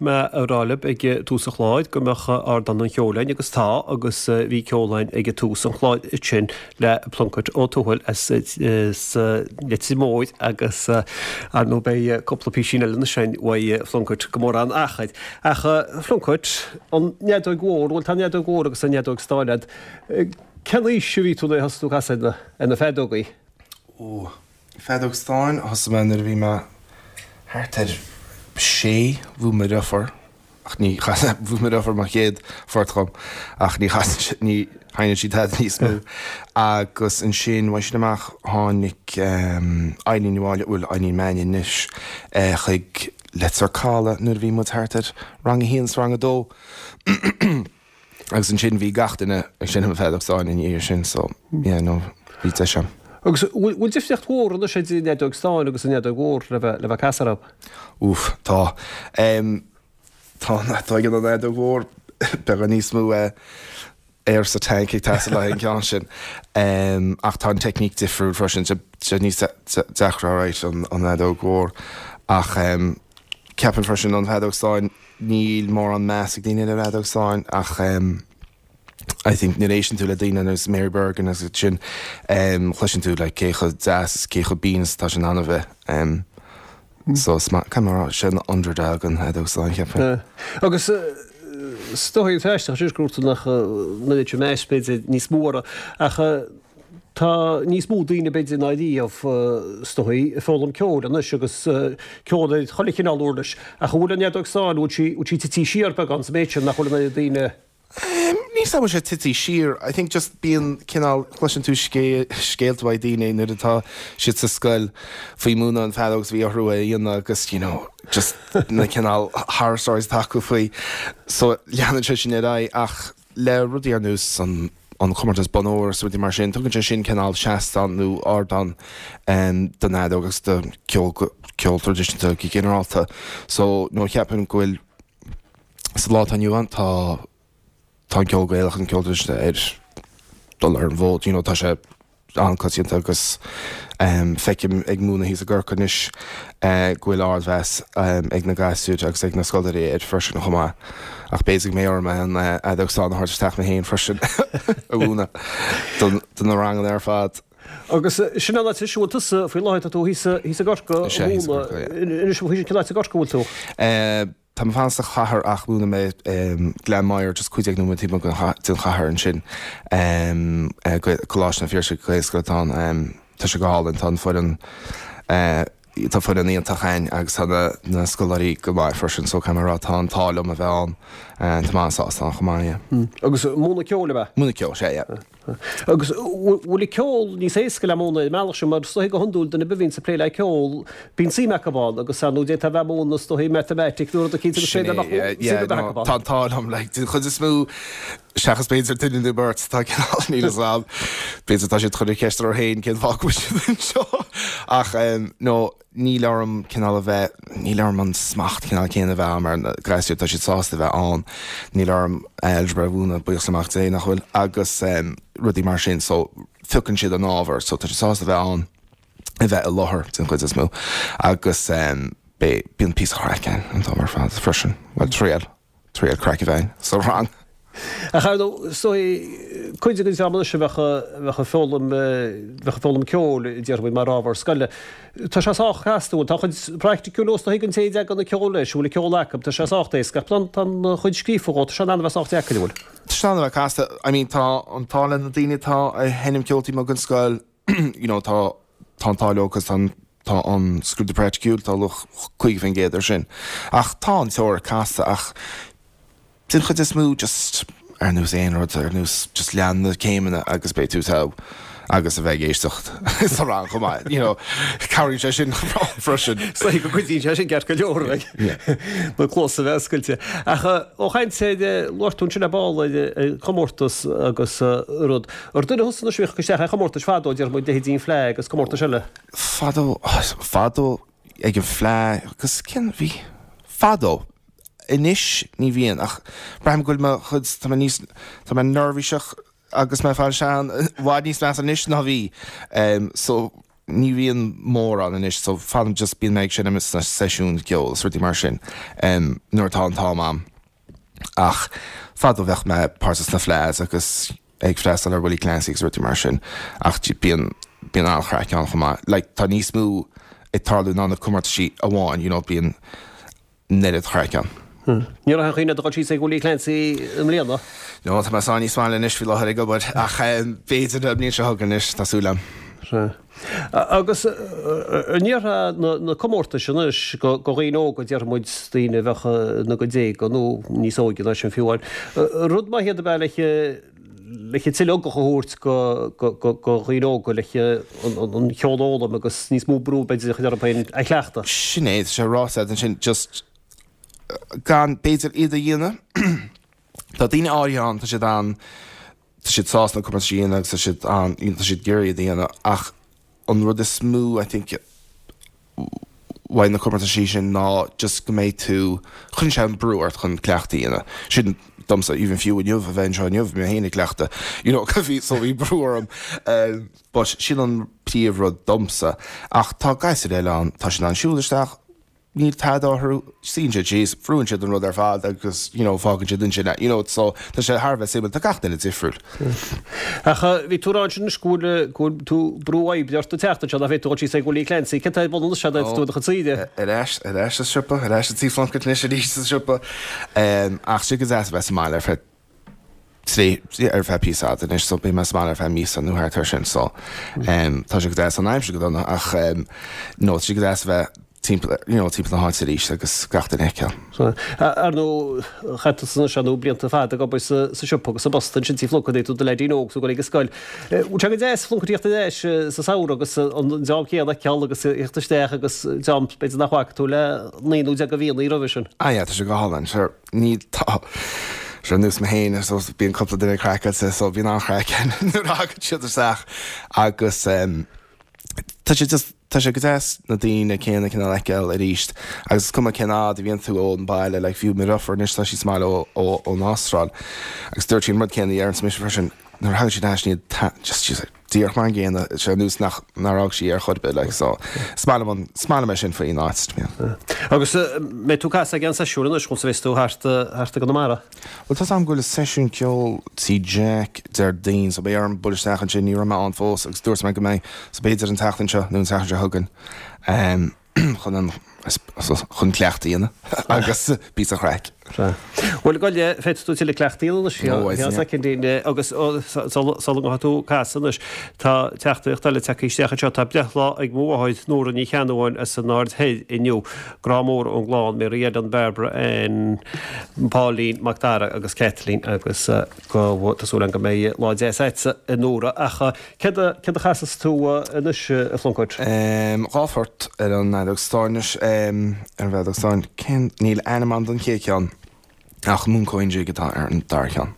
mé a rá libh ag tús an chláir go mbeadh Ardán an Cheoil againn agus tá agus bhí ceol againn ag tús an chláir ansin le Plunkett Ó Tuathail as Leitir Móir agus ar ndóigh beidh cúpla písín eile anois againn uaidh Phlunkett gan mórán achair. Ach Phlunkett, an fheadóig mhór, bhuel tá an fheadóig mhór agus an fheadóg stáin agat. Cén aois a bhí tú nuair a thosaigh tú ag casadh ar na feadógaí? Ó, feadóg stáin, thosaigh mé nuair a bhí mé thart ar sé, bhuail mo dheirfiúr, ach ní chas, bhuail mo dheirfiúr mo chéad phort dhom, ach ní chasann sí, ní sheinneann sí tada níos mó. Agus ansin, uaidh sin amach, tháinig Eileen Ní Mháille, bhuel, Eileen Mannion anois, chuig Leitir Caladh nuair a bhí muid thart ar rang a haon is rang a dó. Agus ansin bhí gach duine ag seinm an feadóg stáin ina dhiaidh sin so yeah no bhí deis a'm. Agus bhfuil difríocht mhór anois idir an fheadóg stáin agus an fheadóg mhór le bheith le bheith ag casadh orthu? Oof tá. Em tá an fheadóg an fheadóg mhór beagán níos mó eh aer sa tank ag teastáil le haghaidh an ceann sin. Em ach tá an teicníc difriúil freisin sé sé níos deacra alright an an fheadóg mhór ach em ceapaim freisin an fheadóg stáin Níl mórán meas ag daoine ar an fheadóg stáin ach I think nuair a éisteann tú le daoine ar nós Mary Bergin agus iad sin cloiseann tú like cé chomh deas is cé chomh binn is atá sé in ann a bheith. So is maith, caithfidh mé a rá, sé an underdog an fheadóg stáin cheapfainn. Agus is dóigh an aisteach sin gur dúirt tú nach mbeadh sé meas b'fhéidir níos mó orthu ach Tá níos mó daoine b'fhéidir ná riamh is dóigh ag foghlaim ceoil anois agus ceol ar chuile chineál uirlis. Ach an bhfuil an fheadóg stáin, an bhfuil sí, bhfuil sí tití siar beagán sa méid sin nach bhfuil an oiread daoine. Níl 's a'm an bhfuil sé tití siar. I think just bíonn cineál, cloiseann tú scéalta uaidh daoine nuair atá siad sa scoil faoi múineadh an feadóg is bhí orthu é a dhéanamh agus you know just na cineál horror stories atá acu faoi. So leanann sé sin ar aghaidh ach le rudaí ar nós an an comórtas Bonn Óir is rudaí mar sin, tugann sé sin cineál seastán nó ardán don fheadóg agus do ceol ceol traidisiúnta go ginearálta. So, no cheapaim go bhfuil sa lá atá inniu ann tá tá an ceol Gaelach an ceol traidisiúnta ar dul ar an bhfód, you know, tá sé an-coitianta agus feicim ag múineadh thíos i gCorcaigh anois go bhfuil ardmheas ag na gasúir agus ag na scoláirí air freisin chomh maith. Ach b'fhéidir go mbeidh orm an fheadóg stáin a thabhairt isteach mé féin freisin a mhúineadh do na ranganna ar fad. Agus sin an áit anois a bhfuil tusa faoi láthair, tá tú thíos i gCorcaigh a mhúineadh. Anois cén áit i gCorcaigh a bhfuil tú? Tá mé ag fanacht sa chathair ach múineann mé Gleann Maghair, just 15 nóiméad taobh amuigh den chathair ansin. Coláiste an Phiarsaigh, Gaelscoil atá ann. Tá sé go hálainn, tá an foireann, tá foireann iontach againn agus tá na scoláirí go maith freisin so caithfidh mé a rá tá an t-ádh liom a bheith ann. Tá mé an-sásta ann chomh maith, yeah. Agus múineadh ceoil ab ea? Múineadh ceoil, sea, yeah. Agus bhfuil an ceol níos éasca le múineadh ar an mbealach sin, mar is dóigh go hiondúil duine ar bith a bhíonns ag plé le ceol, bíonn suim acu ann agus ar ndóigh d'fhéadfá a bheith ag múineadh is dóigh matamaitic nó rud eicínt agus b'fhéidir nach bhfuil suim ar bith acu ann. Tá an t-ádh liom, like, den chuid is mó, seachas b'fhéidir duine nó beirt atá cineál, níl fhios a'm, b'fhéidir tá siad ag cur ceist orthu féin cén fáth go bhfuil siad anseo ach no, Níl orm cineál a bheith, níl orm an smacht cineál céanna a bheith a'm ar na gasúir, tá siad sásta a bheith ann, níl orm algebra a mhúineadh, buíochas le Mac Dé nach bhfuil, agus rudaí mar sin, so piocann siad an ábhar, so tá siad sásta a bheith ann, a bheith i láthair den chuid is mó, agus bíonn píosa craic ann an t-am ar fad freisin, bhuel triail. Triail craic a bheith sa rang. Ach ar ndóigh, is dóigh, cuid den dream anois a bheadh, a bheadh ag foghlaim, bheadh ag foghlaim ceoil, déarfaidh muid, mar ábhar scoile, tá sé sách casta, bhuel, tá an chuid praiticiúil is dóigh don té a dtagann an ceol leis, bhfuil an ceol acu, tá sé sách éasca, ach tá an chuid scríofa dhó, tá sé in ann a bheith sách deacair, an bhfuil? Tá sé in ann a bheith casta. I mean, tá an t-ádh le na daoine atá ag seinm ceoil taobh amuigh den scoil, you know, tá, tá an t-ádh leo 'cause tá an, tá an scrúdú praiticiúil, tá luach 50% air sin. Ach tá an teoiric casta ach den chuid is mó just ar nós aon rud, ar nós just lean na céimeanna agus beidh tú togha agus a bheith ag éisteacht sa rang chomh maith, you know, cabhraíonn sé sin freisin. Is dóigh go gcuidíonn sé sin ceart go leor, like, na cluasa a bheith oscailte. Ach ó chaint ar, labhair tú ansin ar ball ar chomórtas agus rud. Ar duine thusa anois a bhíodh ag cur isteach ar chomórtais fadó, déarfaidh muid leithéidí an Fleadh agus comórtais eile? Fadó, fadó ag an Fleadh agus cén, bhí, fadó. Anois ní bhíonn ach braithim go bhfuil mo chuid, tá mé níos, tá mé neirbhíseach agus mé ag fáil sean, i bhfad níos measa anois ná bhí. So. ní bhíonn mórán anois so fanaim just bíonn mé ag seinm sna seisiúin ceoil is rudaí mar sin nuair atá an t-am a'm. Ach fadó bheadh mé páirteach sna Fleadhs agus ag freastal ar Willie Clancy agus rudaí mar sin ach bíonn bíonn an-chraic ann chomh maith. Like tá níos mó ag tarlú ná na comórtaisí amháin you know bíonn an oiread craic ann. Ní raibh aon chuimhne agat a dhul síos ag Willie Clancy i mbliana? No, tá mé sáith níos maille anois faoi láthair ag obair ach b'fhéidir an bhliain seo chugainn anois, tá súil agam. Sea. Agus an ndéarfá na comórtais anois do dhaoine óga, déarfaidh muid daoine a bheadh ina gcuid déaga nó níos óige ná sin fiú amháin, rud maith iad ab ea le le tuilleadh ugach a thabhairt do dhaoine óga le an ceol a fhoghlaim agus níos mó brú b'fhéidir a chur orthu féin a chleachtadh. Sin é, tá sé ráite agat ansin, just gan b'fhéidir iad a dhéanamh. Tá daoine áirithe ann, tá siad an, tá siad sásta na comórtais a dhéanamh agus tá siad an, tá siad ag iarraidh iad a dhéanamh ach an rud is mó I think uaidh na comórtaisí sin ná just go mbeidh tú, cuireann sé an brú ort chun cleachtadh a dhéanamh. Sin domsa, even fiú inniu, a bheith anseo inniu, bhí mé féin ag cleachtadh, you know, bhí, so bhí brú orm. But sin an príomh rud domsa. Ach tá gasúir eile ann, tá siad in ann siúl isteach, Níl tada orthu, suíonn siad síos, brúann siad an rud ar fad agus you know fágann siad ansin é, you know so tá sé thar a bheith suimiúil, tá gach duine difriúil. Ach bhí tú ag rá ansin anois go bhfuil, go bhfuil tú brú oibre ort an tseachtain seo, nach bhféadfaidh tú dul síos ag Willie Clancy, céard tá ar bun anois agat tú i do chuid saoire? Ar ais, ar ais sa siopa, ar ais i Tí Phlunkett anois arís sa siopa. Ach tá sé go deas a bheith sa mbaile ar feadh trí, ar feadh píosa fada anois so beidh mé sa mbaile ar feadh míosa nó thart air sin so tá sé go deas, an aimsir go dona ach no tá sé go deas a bheith timpeall, you know, timpeall na háite arís agus gach duine a fheiceáil. Sea. Ar ndóigh, chaith tusa anois ar ndóigh blianta fada ag obair sa siopa agus sa bpost ansin Tí Phlunkett nuair a bhí tú i do leaidín óg, tú ag dul ag an scoil. Bhfuil sé go deas Plunkett a thíocht ar ais sa samhradh agus an dream céanna a fheiceáil agus a thíocht isteach agus dream b'fhéidir nach bhfaca tú le naoi nó deich de mhíonna roimhe sin? Ah yeah, tá sé go hálainn, sure. Níl, tá sé ar nós mé féin, so bíonn cúpla duine craiceáilte, so bíonn an-chraic ann nuair a thagann siad isteach agus tá sé just, tá sé go deas na daoine céanna cineál a fheiceáil arís agus is cuma cén fhad a bhíonn tú ón baile, like fiú mo dheirfiúr anois tá sí sa mbaile ó, ó, ón Astráil agus dúirt sí an rud céanna a deirimse mise freisin, nuair a thagann siad ar ais níl, just she's like, díreach mar an gcéanna, sé ar nós nach, nár fhág sí ar chor ar bith, like, so, is maith liom an, is maith liom é sin faoin áit, to be honest. Agus an mbeidh tú ag casadh ag aon seisiún anois, conas a bheas tú thart, thart i gConamara? Bhuel, tá's a'm go bhfuil seisiún ceoil Tí Jack Déardaoin, so beidh orm bualadh isteach ansin, ní raibh mé ann fós agus dúirt mé go mbeidh, so b'fhéidir an tseachtain seo nó an tseachtain seo chugainn, em, chun an, chun cleachtadh a dhéanamh agus píosa craic. Sea. Bhuel, gabh i leith, féadfaidh tú tuilleadh cleachtaidh a dhéanamh anois, Ó, I see. soicindín, agus sula ngabhfaidh tú ag casadh anois, tá teachtaireacht eile tagtha isteach anseo, tá breithlá ag mo mháthair, Nóra Ní Cheannabháin as an Aird Thoir inniu. Grá mór ón gclann, Mary Ellen, Barbara Ann, Pauline, Mac Dara agus Kathleen agus go, tá súil agam go mbeidh lá deas agatsa, a Nóra. Ach céard a, céard a chasfas tú anois, a Phlunkett? 2 phort ar an bhfeadóg stáin anois, ar an bhfeadóg stáin. Cén, níl ainm ann don chéad cheann ach Mooncoin Jig atá ar an dara ceann.